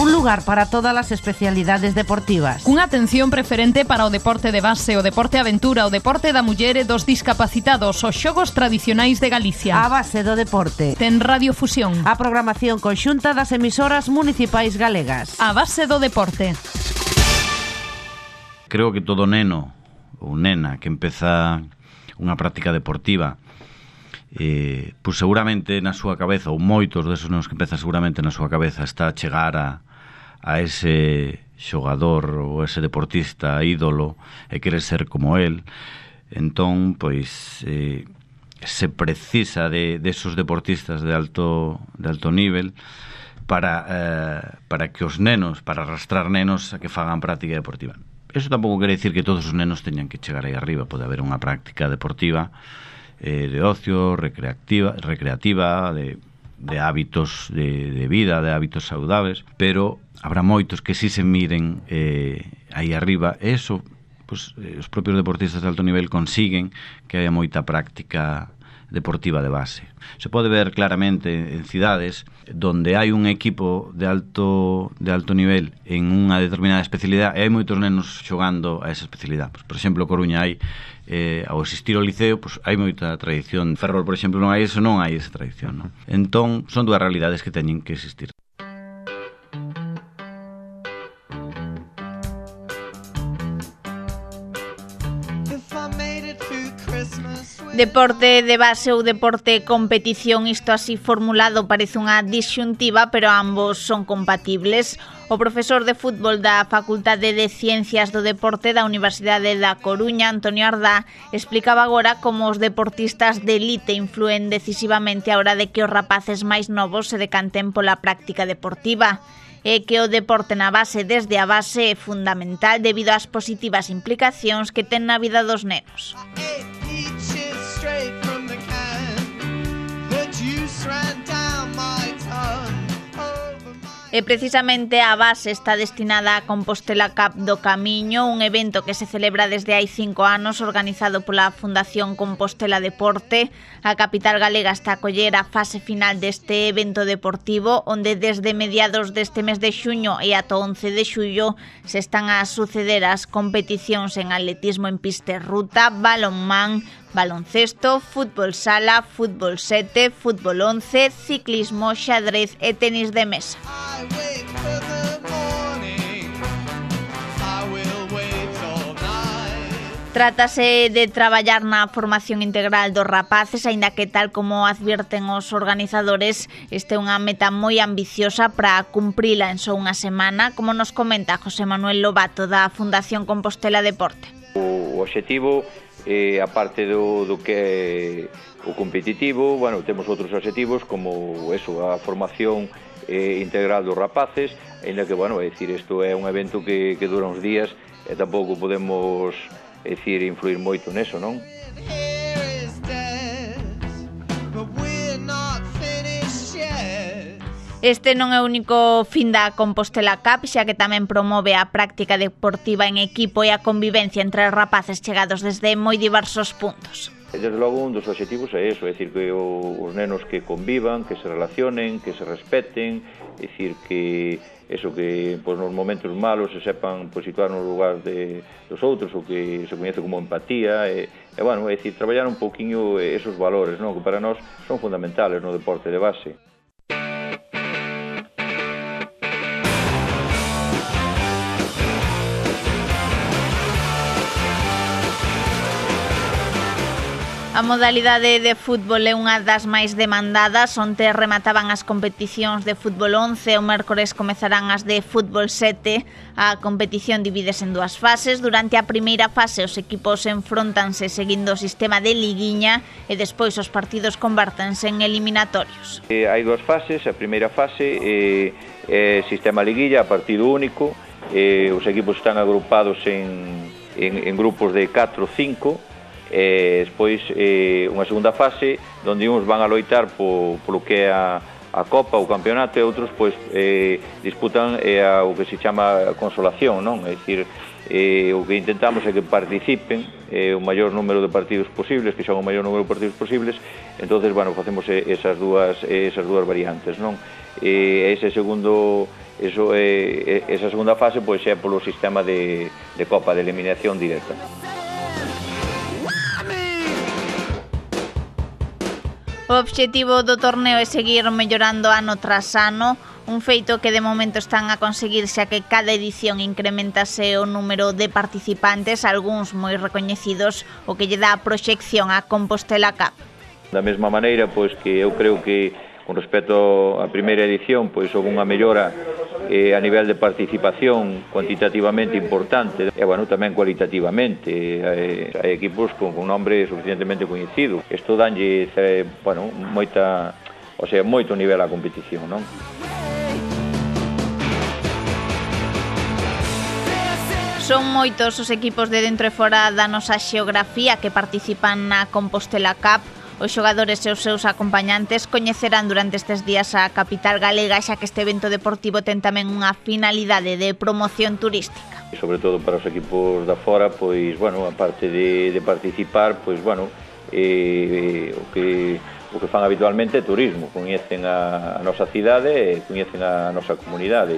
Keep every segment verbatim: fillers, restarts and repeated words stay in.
Un lugar para todas as especialidades deportivas. Cunha atención preferente para o deporte de base, o deporte aventura, o deporte da muller e dos discapacitados, os xogos tradicionais de Galicia. A base do deporte. Ten radiofusión. A programación conxunta das emisoras municipais galegas. A base do deporte. Creo que todo neno ou nena que empeza unha práctica deportiva, eh, pois seguramente na súa cabeza, ou moitos desos nenos que empezan seguramente na súa cabeza, está a chegar a, a ese xogador ou ese deportista ídolo e querer ser como él. Entón, pois, eh, se precisa de, de esos deportistas de alto, de alto nivel para, eh, para que os nenos, para arrastrar nenos a que fagan práctica deportiva. Eso tampouco quere dicir que todos os nenos teñan que chegar aí arriba. Pode haber unha práctica deportiva eh, de ocio, recreativa, recreativa de, de hábitos de, de vida, de hábitos saudables, pero habrá moitos que si se miren eh, aí arriba. Eso, pues, eh, os propios deportistas de alto nivel consiguen que haya moita práctica deportiva de base. Se pode ver claramente en cidades donde hai un equipo de alto de alto nivel en unha determinada especialidade e hai moitos nenos xogando a esa especialidade. Pues, por exemplo, Coruña hai eh, ao existir o liceo, pues, hai moita tradición. Ferrol, por exemplo, non hai eso, non hai esa tradición, non? Entón, son dúas realidades que teñen que existir. Deporte de base ou deporte competición, isto así formulado parece unha disxuntiva, pero ambos son compatibles. O profesor de fútbol da Facultade de Ciencias do Deporte da Universidade da Coruña, Antonio Ardá, explicaba agora como os deportistas de elite influen decisivamente a hora de que os rapaces máis novos se decanten pola práctica deportiva. E que o deporte na base desde a base é fundamental debido ás positivas implicacións que ten na vida dos nenos. E precisamente a base está destinada a Compostela Cup do Camiño, un evento que se celebra desde hai cinco anos, organizado pola Fundación Compostela Deporte. A capital galega está a coller a fase final deste evento deportivo, onde desde mediados deste mes de xuño e ata once de xullo se están a suceder as competicións en atletismo en pista e ruta, balonmán, baloncesto, fútbol sala, fútbol sete, fútbol once, ciclismo, xadrez e tenis de mesa. Trátase de traballar na formación integral dos rapaces, aínda que tal como advirten os organizadores, este é unha meta moi ambiciosa para cumprila en só unha semana, como nos comenta José Manuel Lobato da Fundación Compostela Deporte. O obxectivo, eh, aparte do, do que é o competitivo, bueno, temos outros obxectivos como eso, a formación eh, integral dos rapaces, ainda que, bueno, é dicir, isto é un evento que, que dura uns días e tampouco podemos, é dicir, influir moito neso, non? Este non é o único fin da Compostela Cup, xa que tamén promove a práctica deportiva en equipo e a convivencia entre os rapaces chegados desde moi diversos puntos. Desde logo, un dos obxectivos é iso, é dicir, que os nenos que convivan, que se relacionen, que se respeten, é dicir, que eso, que pois, nos momentos malos se sepan pois, situar no lugar de, dos outros, o que se coñece como empatía, e, e bueno, é dicir, traballar un pouquiño esos valores, non? Que para nós son fundamentales no deporte de base. A modalidade de fútbol é unha das máis demandadas. Onte remataban as competicións de fútbol once, o mércores comezarán as de fútbol sete. A competición divídese en dúas fases. Durante a primeira fase os equipos enfrontanse seguindo o sistema de liguiña e despois os partidos convértense en eliminatorios. Eh, hai dúas fases. A primeira fase é eh, eh, sistema liguilla, partido único. Eh, os equipos están agrupados en, en, en grupos de catro ou cinco. E despois eh, unha segunda fase onde uns van a loitar po, polo que é a, a Copa, o campeonato, e outros pois, eh, disputan eh, a, o que se chama consolación, non? É dicir, eh, o que intentamos é que participen eh, o maior número de partidos posibles, que son o maior número de partidos posibles. Entonces, bueno, facemos esas dúas, esas dúas variantes, non? E ese segundo Eso é, esa segunda fase pois é polo sistema de, de Copa de eliminación directa. O obxectivo do torneo é seguir mellorando ano tras ano, un feito que de momento están a conseguir xa que cada edición incrementase o número de participantes, algúns moi recoñecidos, o que lle dá a proxección a Compostela Cup. Da mesma maneira, pois que eu creo que con respecto á primeira edición, pois houve unha mellora eh, a nivel de participación cuantitativamente importante e, bueno, tamén cualitativamente. Eh, hai equipos con un nombre suficientemente coñecido. Isto danlle, eh, bueno, moita, o sea, moito nivel á competición, non? Son moitos os equipos de dentro e fora da nosa xeografía que participan na Compostela Cup. Os xogadores e os seus acompañantes coñecerán durante estes días a capital galega, xa que este evento deportivo ten tamén unha finalidade de promoción turística. E sobre todo para os equipos da fora, pois, bueno, a parte de, de participar, pois, bueno, eh, o que o que fan habitualmente é turismo, coñecen a, a nosa cidade e coñecen a nosa comunidade.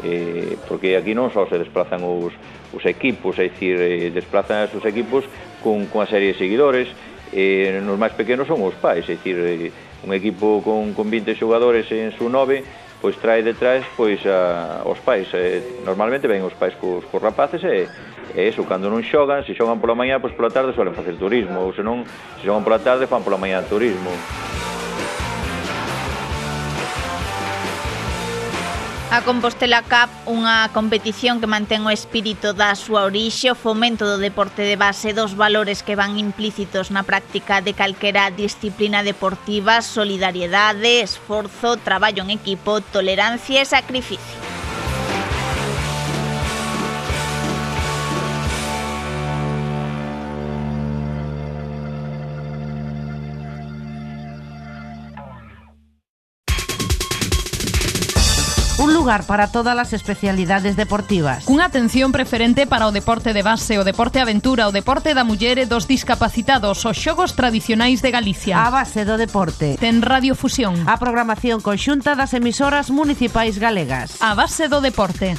Eh, porque aquí non só se desplazan os, os equipos, é dicir, eh, desplazan os equipos con, con a serie de seguidores. Eh, nos máis pequenos son os pais, é dicir, eh, un equipo con, con vinte xogadores en su nove, pois trae detrás pois a, os pais, eh, normalmente ven os pais cos, cos rapaces e, e eso, cando non xogan, se xogan pola mañá, pois pola tarde suelen facer turismo, ou se non, se xogan pola tarde, fan pola mañá turismo. A Compostela Cup, unha competición que mantén o espírito da súa orixe, o fomento do deporte de base, dos valores que van implícitos na práctica de calquera disciplina deportiva: solidariedade, esforzo, traballo en equipo, tolerancia e sacrificio. Un lugar para todas as especialidades deportivas. Cunha atención preferente para o deporte de base, o deporte aventura, o deporte da muller e dos discapacitados, os xogos tradicionais de Galicia. A base do deporte. Ten radiofusión. A programación conxunta das emisoras municipais galegas. A base do deporte.